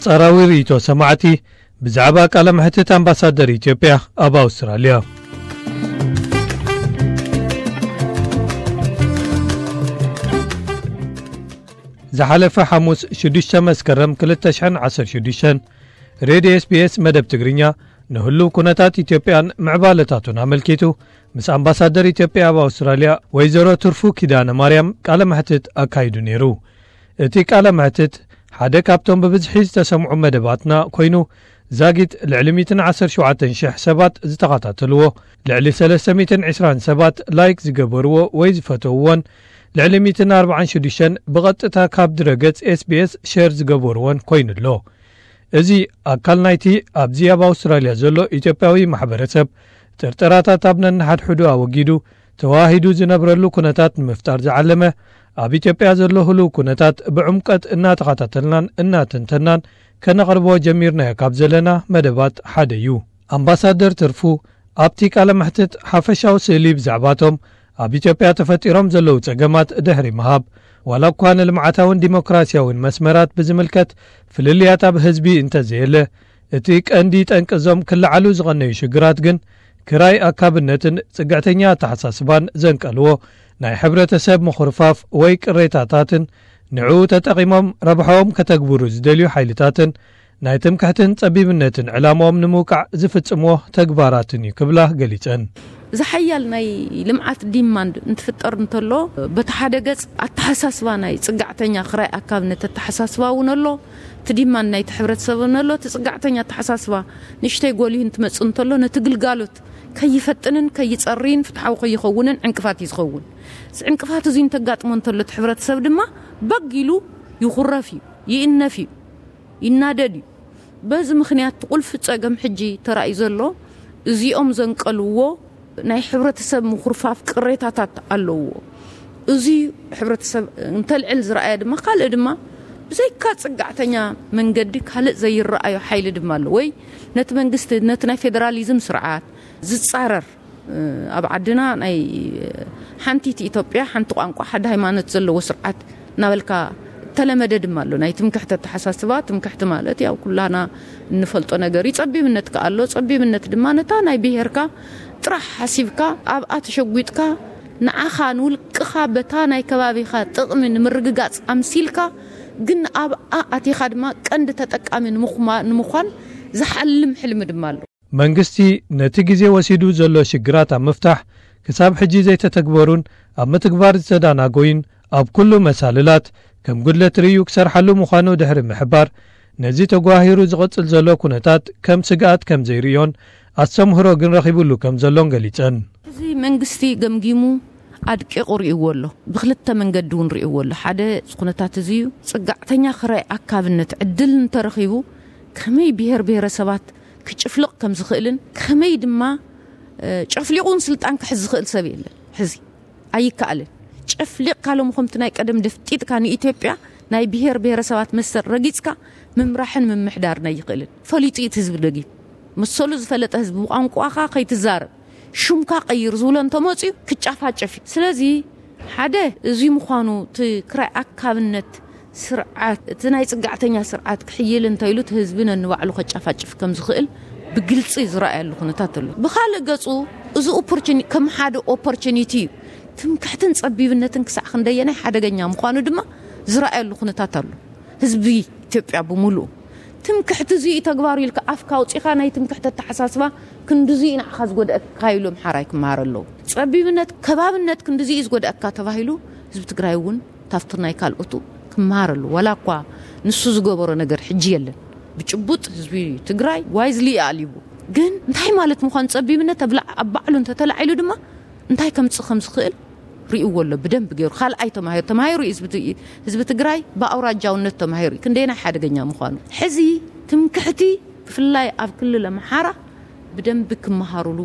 ጸራዊ ርእይቶ ሰማዕቲ ብዛዕባ ቃለ መሕትት ኣምባሳደር ኢትዮጵያ ኣብ ኣውስትራልያ። ዝሓለፈ ሓሙስ ሽዱሽተ መስከረም ክልተ ሽሕን ዓሰርተ ሽዱሽተን ሬድዮ ኤስቢኤስ መደብ ትግርኛ ንህሉው ኩነታት ኢትዮጵያን ምዕባለታቱን ኣመልኪቱ ምስ ኣምባሳደር ኢትዮጵያ ኣብ ኣውስትራልያ ወይዘሮ ትርፉ ኪዳነ ማርያም ቃለ መሕትት ኣካይዱ ነይሩ። እቲ ቃለ መሕትት ሓደ ካብቶም ብብዝሒ ዝተሰምዑ መደባትና ኮይኑ፣ ዛጊት ልዕሊ ሚእትን ዓሰርተ ሸውዓተን ሽሕ ሰባት ዝተኸታተልዎ፣ ልዕሊ ሰለስተ ሚእትን ዕስራን ሰባት ላይክ ዝገበርዎ ወይ ዝፈተውዎን ልዕሊ ሚእትን ኣርባዓን ሽዱሽተን ብቐጥታ ካብ ድረገጽ ኤስቢኤስ ሸር ዝገበርዎን ኮይኑ ኣሎ። እዚ ኣካል ናይቲ ኣብዚ ኣብ ኣውስትራልያ ዘሎ ኢትዮጵያዊ ማሕበረሰብ ጥርጠራታት ኣብ ነንሓድሕዱ ኣወጊዱ ተዋሂዱ ዝነብረሉ ኩነታት ንምፍጣር ዝዓለመ፣ ኣብ ኢትዮጵያ ዘሎ ህሉው ኩነታት ብዕምቀት እናተኸታተልናን እናተንተናን ከነቕርቦ ጀሚርናዮ ካብ ዘለና መደባት ሓደ እዩ። ኣምባሳደር ትርፉ ኣብቲ ቃለ መሕትት ሓፈሻዊ ስእሊ ብዛዕባቶም ኣብ ኢትዮጵያ ተፈጢሮም ዘለዉ ጸገማት ድሕሪ ምሃብ፣ ዋላ እኳ ንልምዓታውን ዲሞክራሲያውን መስመራት ብዝምልከት ፍልልያት ኣብ ህዝቢ እንተዘየለ፣ እቲ ቀንዲ ጠንቂ እዞም ክለዓሉ ዝቐነዩ ሽግራት ግን ክራይ ኣካብነትን ጽግዕተኛ ኣተሓሳስባን ዘንቀልዎ ናይ ሕብረተሰብ ምኹርፋፍ ወይ ቅሬታታትን ንዕኡ ተጠቒሞም ረብሓኦም ከተግብሩ ዝደልዩ ሓይልታትን ናይ ትምክሕትን ጸቢብነትን ዕላማኦም ንምውቃዕ ዝፍጽምዎ ተግባራትን እዩ ክብላ ገሊጸን። ዝሓያል ናይ ልምዓት ዲማንድ እንትፍጠር እንተሎ፣ በቲ ሓደ ገጽ ኣተሓሳስባ ናይ ጽጋዕተኛ ክራይ ኣካብነት ኣተሓሳስባ እውን ኣሎ። እቲ ዲማንድ ናይቲ ሕብረተሰብ እውን ኣሎ። እቲ ጽጋዕተኛ ኣተሓሳስባ ንእሽተይ ጎሊሁ እንትመጽእ እንተሎ፣ ነቲ ግልጋሎት ከይፈጥንን ከይጸርይን ፍትሓዊ ከይኸውንን ዕንቅፋት እዩ ዝኸውን። እዚ ዕንቅፋት እዚ እንተጋጥሞ እንተሎ፣ እቲ ሕብረተሰብ ድማ በግ ኢሉ ይኹረፍ እዩ፣ ይእነፍ እዩ፣ ይናደድ እዩ። በዚ ምኽንያት እቲ ቁልፊ ጸገም ሕጂ ተራእዩ ዘሎ፣ እዚኦም ዘንቀልዎ ናይ ሕብረተሰብ ምኹርፋፍ ቅሬታታት ኣለውዎ። እዚ ሕብረተሰብ እንተልዕል ዝረኣየ ድማ፣ ካልእ ድማ ብዘይካ ጽጋዕተኛ መንገዲ ካልእ ዘይረኣዮ ሓይሊ ድማ ኣሎ። ወይ ነቲ መንግስቲ፣ ነቲ ናይ ፌደራሊዝም ስርዓት ዝጻረር፣ ኣብ ዓድና ናይ ሓንቲት ኢትዮጵያ፣ ሓንቲ ቋንቋ፣ ሓደ ሃይማኖት ዘለዎ ስርዓት እናበልካ ተለመደ ድማ ኣሎ። ናይ ትምክሕቲ ኣተሓሳስባ፣ ትምክሕቲ ማለት ያው ኩላና እንፈልጦ ነገር እዩ። ጸቢብነት ከኣ ኣሎ። ጸቢብነት ድማ ነታ ናይ ብሄርካ ጥራሕ ሓሲብካ፣ ኣብኣ ተሸጒጥካ፣ ንዓኻ ንውልቅኻ በታ ናይ ከባቢኻ ጥቕሚ ንምርግጋጽ ኣምሲልካ፣ ግን ኣብኣ ኣቲኻ ድማ ቀንዲ ተጠቃሚ ንምኹማ-፣ ንምዃን ዝሓልም ሕልሚ ድማ ኣሎ። መንግስቲ ነቲ ግዜ ወሲዱ ዘሎ ሽግራት ኣብ ምፍታሕ ክሳብ ሕጂ ዘይተተግበሩን ኣብ ምትግባር ዝተዳናጎዩን ኣብ ኩሉ መሳልላት ከም ጉድለት ርእዩ ክሰርሓሉ ምዃኑ ድሕሪ ምሕባር፣ ነዚ ተጓሂሩ ዝቕጽል ዘሎ ኩነታት ከም ስግኣት ከም ዘይርእዮን ኣስተምህሮ ግን ረኺቡሉ ከም ዘሎን ገሊጸን። እዚ መንግስቲ ገምጊሙ ኣድቂቑ ርእይዎ ኣሎ። ብክልተ መንገዲ እውን ርእይዎ ኣሎ። ሓደ፣ እዚ ኩነታት እዚ እዩ። ጽጋዕተኛ ክራይ ኣካብነት ዕድል እንተረኺቡ ከመይ ብሄር ብሄረሰባት ክጭፍልቕ ከም ዝኽእልን ከመይ ድማ፣ እ፣ ጨፍሊቑ እውን ስልጣን ክሕዝ ዝኽእል ሰብ የለን። ሕዚ ኣይከኣልን። ጨፍሊቕካ ሎም ከምቲ ናይ ቀደም ደፍጢጥካ ንኢትዮጵያ ናይ ብሄር ብሄረሰባት መሰል ረጊጽካ ምምራሕን ምምሕዳርን ኣይኽእልን። ፈሊጡ እዩ እቲ ህዝቢ ደጊም። መሰሉ ዝፈለጠ ህዝቢ ብቋንቋኻ ከይትዛረብ፣ ሹምካ ቀይር ዝብሎ እንተመፅዩ ክጫፋጨፍ እዩ። ስለዚ ሓደ እዚ ምዃኑ፣ እቲ ክራይ ኣካብነት ስርዓት፣ እቲ ናይ ጽጋዕተኛ ስርዓት ክሕይል እንተኢሉ እቲ ህዝቢ ነንባዕሉ ከጫፋጭፍ ከም ዝኽእል ብግልጺ ዝረኣየሉ ኩነታት ኣሎ። ብኻልእ ገጹ፣ እዚ ኦፖርቹኒ-፣ ከም ሓደ ኦፖርቹኒቲ እዩ። ትምክሕትን ጸቢብነትን ክሳዕ ክንደየናይ ሓደገኛ ምዃኑ ድማ ዝረኣየሉ ኩነታት ኣሎ። ህዝቢ ኢትዮጵያ ብምሉኡ ትምክሕቲ እዚ እዩ ተግባሩ ኢልካ ኣፍካ ኣውጺኻ ናይ ትምክሕቲ ኣተሓሳስባ ክንድዚ እዩ ንዓኻ ዝጎድኣካ ኢሉ ኣምሓራይ ክመሃር ኣለዎ። ጸቢብነት፣ ከባብነት ክንድዚ እዩ ዝጎድኣካ ተባሂሉ ህዝቢ ትግራይ እውን ታፍቲ ናይ ካልኦቱ ክመሃር ኣለዎ። ዋላ እኳ ንሱ ዝገበሮ ነገር ሕጂ የለን። ብጭቡጥ ህዝቢ ትግራይ ዋይዝሊ ኣልይዎ። ግን እንታይ ማለት ምዃኑ ጸቢብነት ኣብ ላ-፣ ኣብ ባዕሉ እንተተላዒሉ ድማ እንታይ ከምጽእ ከም ዝኽእል ርእይዎ ኣሎ ብደንብ ገይሩ። ካልኣይ ተማሂሩ፣ ተማሂሩ እዩ ህዝቢ ት-፣ ህዝቢ ትግራይ ብኣውራጃውነት ተማሂሩ እዩ። ክንደየናይ ሓደገኛ ምዃኑ። ሕዚ ትምክሕቲ ብፍላይ ኣብ ክልል ኣምሓራ ብደንቢ ክመሃሩሉ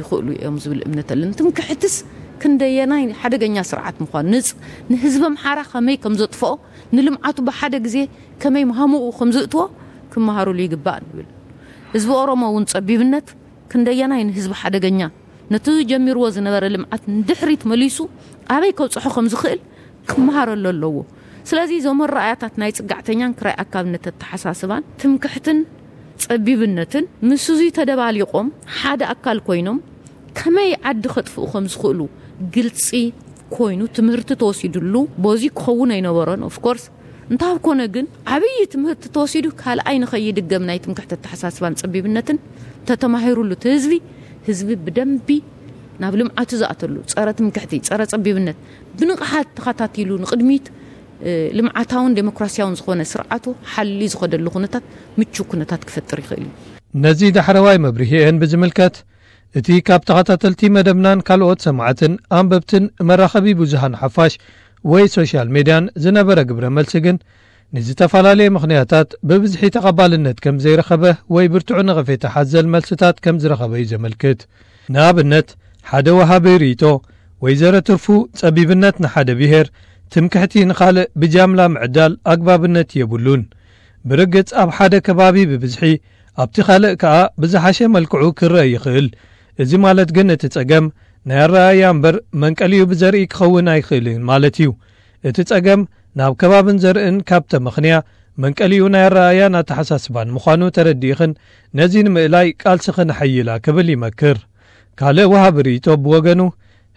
ይኽእሉ እዮም ዝብል እምነት ኣለኒ። ትምክሕትስ ክንደየናይ ሓደገኛ ስርዓት ምዃኑ፣ ንጽ-፣ ንህዝቢ ኣምሓራ ከመይ ከም ዘጥፍኦ፣ ንልምዓቱ ብሓደ ግዜ ከመይ ሃሙኡ ከም ዝእትዎ ክመሃሩሉ ይግባእ ንብል። ህዝቢ ኦሮሞ እውን ጸቢብነት ክንደየናይ ንህዝቢ ሓደገኛ፣ ነቲ ጀሚርዎ ዝነበረ ልምዓት ንድሕሪት መሊሱ ኣበይ ከብጽሖ ከም ዝኽእል ክመሃረሉ ኣለዎ። ስለዚ እዞም ኣረኣእያታት ናይ ጽጋዕተኛን ክራይ ኣካብነት ኣተሓሳስባን ትምክሕትን ጸቢብነትን ምስዙይ ተደባሊቖም ሓደ ኣካል ኮይኖም ከመይ ዓዲ ከጥፍኡ ከም ዝኽእሉ ግልጺ ኮይኑ ትምህርቲ ተወሲዱሉ። በዚ ክኸውን ኣይነበሮን። ኦፍኮርስ እንታብ ኮነ ግን ዓብዪ ትምህርቲ ተወሲዱ ካልኣይ ንኸይድገም ናይ ትምክሕቲ ኣተሓሳስባን ጸቢብነትን ተተማሂሩሉ እቲ ህዝቢ ህዝቢ ብደንቢ ናብ ልምዓቱ ዝኣተሉ ጸረ ትምክሕቲ ጸረ ጸቢብነት ብንቕሓት ተኸታቲሉ ንቕድሚት ልምዓታውን ዴሞክራሲያውን ዝኾነ ስርዓቱ ሓሊ ዝኸደሉ ኩነታት ምቹ ኩነታት ክፈጥር ይኽእል እዩ። ነዚ ዳሕረዋይ መብርሂኤን ብዝምልከት እቲ ካብ ተኸታተልቲ መደብናን ካልኦት ሰማዕትን ኣንበብትን መራኸቢ ብዙሃን ሓፋሽ ወይ ሶሻል ሜድያን ዝነበረ ግብረ መልሲ ግን ንዝተፈላለየ ምኽንያታት ብብዝሒ ተቐባልነት ከም ዘይረኸበ ወይ ብርቱዕ ነቐፌታ ሓዘል መልስታት ከም ዝረኸበ እዩ ዘመልክት። ንኣብነት ሓደ ወሃቢ ርእይቶ ወይዘሮ ትርፉ ጸቢብነት ንሓደ ብሄር ትምክሕቲ ንኻልእ ብጃምላ ምዕዳል ኣግባብነት የብሉን። ብርግጽ ኣብ ሓደ ከባቢ ብብዝሒ ኣብቲ ካልእ ከኣ ብዝሓሸ መልክዑ ክረአ ይኽእል። እዚ ማለት ግን እቲ ጸገም ናይ ኣረኣእያ እምበር መንቀሊኡ ብዘርኢ ክኸውን ኣይኽእልን ማለት እዩ። እቲ ጸገም ናብ ከባብን ዘርእን ካብ ተመኽንያ መንቀሊኡ ናይ ኣረኣእያን ኣተሓሳስባን ምዃኑ ተረዲእኽን ነዚ ንምእላይ ቃልስኽን ኣሐይላ ክብል ይመክር። ካልእ ወሃቢ ርእይቶ ብወገኑ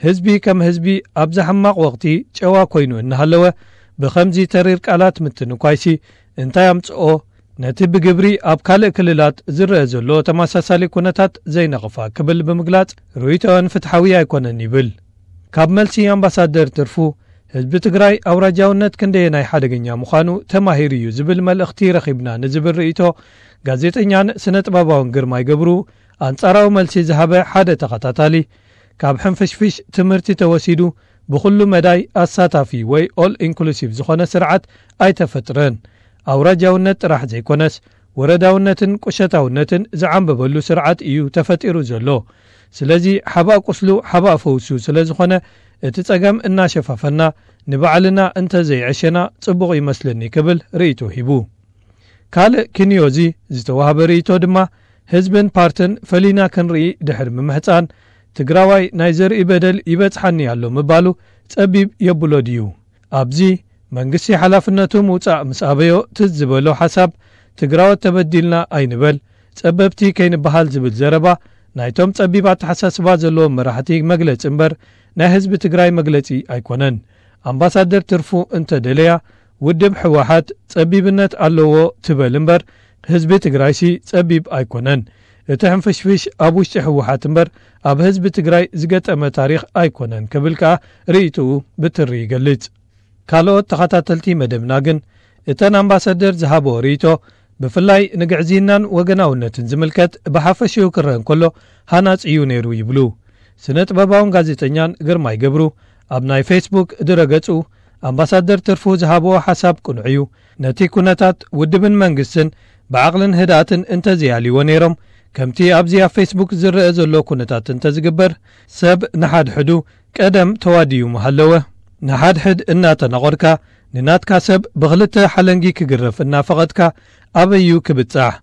ህዝቢ ከም ህዝቢ ኣብዛ ሕማቕ ወቕቲ ጨዋ ኮይኑ እናሃለወ ብኸምዚ ተሪር ቃላት ምትንኳይሲ እንታይ ኣምጽኦ ነቲ ብግብሪ ኣብ ካልእ ክልላት ዝረአ ዘሎ ተመሳሳሊ ኩነታት ዘይነቕፋ ክብል ብምግላጽ ርእይቶን ፍትሓዊ ኣይኮነን ይብል። ካብ መልሲ ኣምባሳደር ትርፉ ህዝቢ ትግራይ ኣውራጃውነት ክንደየናይ ሓደገኛ ምዃኑ ተማሂሩ እዩ ዝብል መልእኽቲ ረኺብና ንዝብል ርእይቶ ጋዜጠኛን ስነ ጥበባውን ግርማይ ገብሩ ኣንጻራዊ መልሲ ዝሃበ ሓደ ተኸታታሊ ካብ ሕንፍሽፍሽ ትምህርቲ ተወሲዱ ብኹሉ መዳይ ኣሳታፊ ወይ ኦል ኢንክሉሲቭ ዝኾነ ስርዓት ኣይተፈጥረን። ኣውራጃውነት ጥራሕ ዘይኮነስ ወረዳውነትን ቁሸታውነትን ዝዓንበበሉ ስርዓት እዩ ተፈጢሩ ዘሎ። ስለዚ ሓባእ ቁስሉ ሓባእ ፈውሱ ስለ ዝኾነ እቲ ጸገም እናሸፋፈና ንባዕልና እንተዘይዐሸና ጽቡቕ ይመስለኒ ክብል ርእይቶ ሂቡ። ካልእ ኪንዮዚ ዝተዋህበ ርእይቶ ድማ ህዝብን ፓርትን ፈሊና ክንርኢ ድሕሪ ምምሕጻን ትግራዋይ ናይ ዘርኢ በደል ይበጽሓኒ ኣሎ ምባሉ ጸቢብ የብሎ ድዩ? ኣብዚ መንግስቲ ሓላፍነቱ ምውጻእ ምስ ኣበዮ ትዝ ዝበሎ ሓሳብ ትግራዎት ተበዲልና ኣይንበል፣ ጸበብቲ ከይንበሃል ዝብል ዘረባ ናይቶም ጸቢብ ኣተሓሳስባ ዘለዎም መራሕቲ መግለጺ እምበር ናይ ህዝቢ ትግራይ መግለጺ ኣይኮነን። ኣምባሳደር ትርፉ እንተደለያ ውድብ ህወሓት ጸቢብነት ኣለዎ ትበል እምበር ህዝቢ ትግራይሲ ጸቢብ ኣይኮነን። እቲ ሕንፍሽፍሽ ኣብ ውሽጢ ህወሓት እምበር ኣብ ህዝቢ ትግራይ ዝገጠመ ታሪኽ ኣይኮነን ክብል ከኣ ርእይትኡ ብትሪ ይገልጽ። ካልኦት ተኸታተልቲ መደብና ግን እተን ኣምባሳደር ዝሃብኦ ርእይቶ ብፍላይ ንግዕዝይናን ወገናውነትን ዝምልከት ብሓፈሽኡ ክረአ እንከሎ ሃናጺ እዩ ነይሩ ይብሉ። ስነ ጥበባውን ጋዜጠኛን ግርማይ ገብሩ ኣብ ናይ ፌስቡክ ድረገጹ ኣምባሳደር ትርፉ ዝሃብዎ ሓሳብ ቅኑዕ እዩ። ነቲ ኩነታት ውድብን መንግስትን ብዓቕልን ህድኣትን እንተዘይኣልይዎ ነይሮም ከምቲ ኣብዚ ኣብ ፌስቡክ ዝረአ ዘሎ ኩነታት እንተዝግበር ሰብ ንሓድሕዱ ቀደም ተዋዲዩ ምሃለወ። ንሓድሕድ እናተናቖርካ ንናትካ ሰብ ብኽልተ ሓለንጊ ክግረፍ እናፈቐድካ ኣበዩ ክብጻሕ?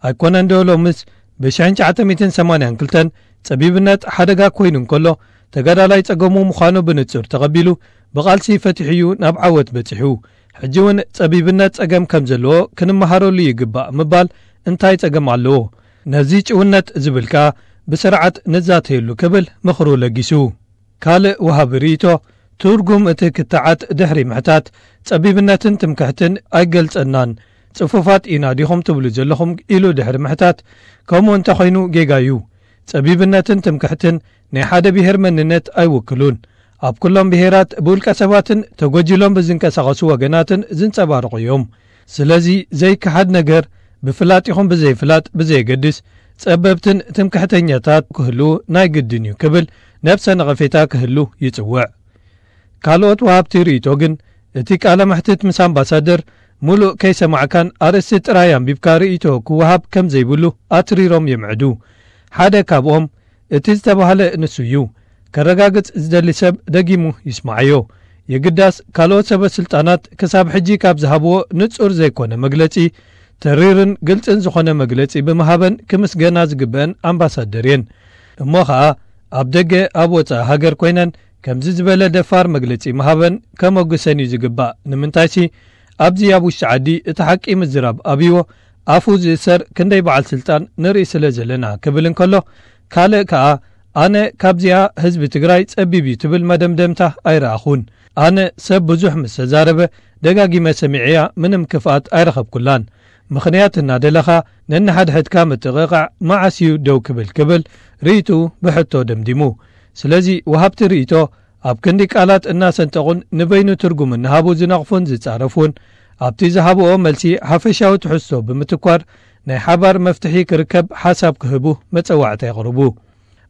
ኣይኮነን ዶ ሎምስ ብ ሽሕን ትሽዓተ ሚእትን ሰማንያን ክልተን ጸቢብነት ሓደጋ ኮይኑ እንከሎ ተጋዳላይ ጸገሙ ምዃኑ ብንጹር ተቐቢሉ ብቓልሲ ፈቲሑ'ዩ ናብ ዓወት በጺሑ። ሕጂ እውን ጸቢብነት ጸገም ከም ዘለዎ ክንመሃረሉ ይግባእ ምባል እንታይ ጸገም ኣለዎ? ነዚ ጭውነት ዝብል ከኣ ብስርዓት ንዛተየሉ ክብል ምኽሩ ለጊሱ። ካልእ ወሃቢ ርእይቶ ትርጉም እቲ ክትዓት ድሕሪ ምሕታት ጸቢብነትን ትምክሕትን ኣይገልጸናን ጽፉፋት ኢና ዲኹም ትብሉ ዘለኹም ኢሉ ድሕሪ ምሕታት ከምኡ እንተኾይኑ ጌጋ እዩ። ጸቢብነትን ትምክሕትን ናይ ሓደ ብሄር መንነት ኣይውክሉን። ኣብ ኩሎም ብሄራት ብውልቀ ሰባትን ተጎጂሎም ብዝንቀሳቐሱ ወገናትን ዝንጸባረቑ እዮም። ስለዚ ዘይከሓድ ነገር ብፍላጥ ይኹን ብዘይፍላጥ ብዘየገድስ ጸበብትን ትምክሕተኛታት ክህልዉ ናይ ግድን እዩ ክብል ነብሰ ነቐፌታ ክህሉ ይጽውዕ። ካልኦት ወሃብቲ ርእይቶ ግን እቲ ቃለ መሕትት ምስ ኣምባሳደር ሙሉእ ከይሰማዕካን ኣርእስቲ ጥራይ ኣንቢብካ ርእይቶ ክወሃብ ከም ዘይብሉ ኣትሪሮም የምዕዱ። ሓደ ካብኦም እቲ ዝተባህለ ንሱ እዩ። ከረጋግጽ ዝደሊ ሰብ ደጊሙ ይስማዓዮ። የግዳስ ካልኦት ሰበ ስልጣናት ክሳብ ሕጂ ካብ ዝሃብዎ ንጹር ዘይኮነ መግለጺ ተሪርን ግልጽን ዝኾነ መግለጺ ብምሃበን ክምስገና ዝግበአን ኣምባሳደር እየን። እሞ ኸኣ ኣብ ደገ ኣብ ወጻኢ ሃገር ኮይነን ከምዚ ዝበለ ደፋር መግለጺ ምሃበን ከመጉሰን እዩ ዝግባእ። ንምንታይሲ ኣብዚ ኣብ ውሽጢ ዓዲ እቲ ሓቂ ምዝራብ ኣብይዎ ኣፉ ዝእሰር ክንደይ በዓል ስልጣን ንርኢ ስለ ዘለና ክብል እንከሎ፣ ካልእ ከኣ ኣነ ካብዚኣ ህዝቢ ትግራይ ጸቢብ እዩ ትብል መደምደምታ ኣይረኣኹን። ኣነ ሰብ ብዙሕ ምስ ተዛረበ ደጋጊመ ሰሚዐያ ምንም ክፍኣት ኣይረኸብኩላን። ምኽንያት እናደለኻ ነንሓድሕድካ ምጥቕቓዕ መዓስ እዩ ደው ክብል ክብል ርእይትኡ ብሕቶ ደምዲሙ። ስለዚ ወሃብቲ ርእይቶ ኣብ ክንዲ ቃላት እናሰንጠቑን ንበይኑ ትርጉም እናሃቡ ዝነቕፉን ዝጻረፉን ኣብቲ ዝሃብኦ መልሲ ሓፈሻዊ ትሕዝቶ ብምትኳር ናይ ሓባር መፍትሒ ክርከብ ሓሳብ ክህቡ መጸዋዕታ የቕርቡ።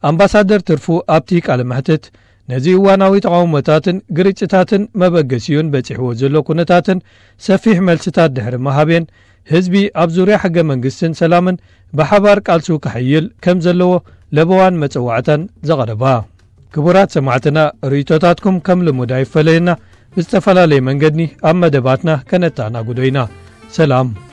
ኣምባሳደር ትርፉ ኣብቲ ቃለ መሕትት ነዚ እዋናዊ ተቓውሞታትን ግርጭታትን መበገሲኡን በጺሕዎ ዘሎ ኩነታትን ሰፊሕ መልስታት ድሕሪ መሃብየን ህዝቢ ኣብ ዙርያ ሕገ መንግስትን ሰላምን ብሓባር ቃልሱ ክሕይል ከም ዘለዎ ለበዋን መጸዋዕታን ዘቐረባ። ክቡራት ሰማዕትና ርእይቶታትኩም ከም ልሙድ ኣይፈለየና ብዝተፈላለየ መንገዲ ኣብ መደባትና ከነተኣናግዶ ኢና። ሰላም።